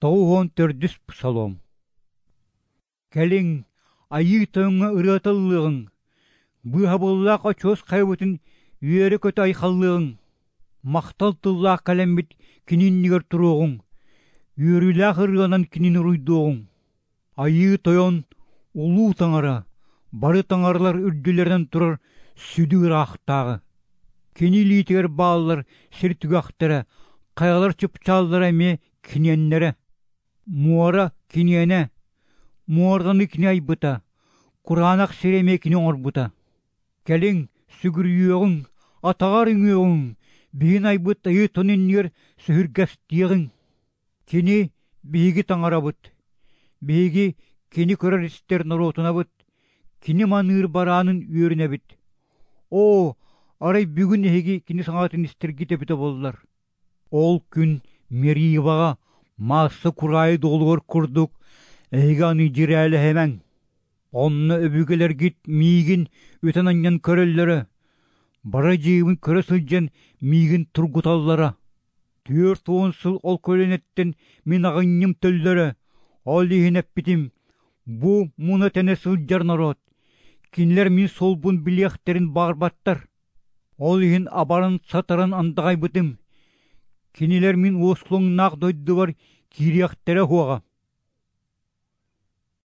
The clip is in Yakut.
94-үс Псалом. Кэлиҥ, Айыы Тойоҥҥо ырыата ыллыаҕыҥ, быыһабыллаах очуос хайабытын үөрэ-көтө айхаллыаҕыҥ. Махтал тыллаах кэлэммит кини иннигэр туруоҕуҥ, үөрүүлээх ырыанан кинини уруйдуоҕуҥ. Айыы Тойон, Улуу Таҥара, бары таҥаралар үрдүлэринэн турар сүдү ыраахтааҕы. Кини илиитигэр бааллар сир түгэхтэрэ, хайалар чыпчааллара эмиэ киниэннэрэ. Муора киниэнэ, муораны кини айбыта, кураанах сири эмиэ кини оҥорбута. Кэлиҥ, сүгүрүйүөҕүҥ, атаҕар үҥүөҕүҥ, биһин айбыт Айыы Тон иннигэр сөһүргэстиэҕиҥ. Кини биһиги таҥарабыт, биһиги кини көрөр-истэр норуотунабыт, кини маныыр бараанын үөрүнэбит. Оо, арай бүгүн эһиги кини саҥатын истэргит эбитэ буоллар. Ол күн Мериваҕа маасса кураайы дуолугар курдук эһиги аны дьирээлэһимэҥ. Онно өбүгэлэргит миигин үтэн-анньан көрөллөрө, бары дьиэбин көрө сылдьан миигин тургуталлара. 40 сыл ол көлүөнэттэн мин аҕынньым төллөрө, ол иһин эппитим, бу муна-тэнэ сылдьар норуот, кинилэр мин суолбун билиэхтэрин баҕарбаттар. Ол иһин абаран-сатаран андаҕайбытым, кинилэр мин уоскулаҥнаах дойдубар киириэхтэрэ суоҕа.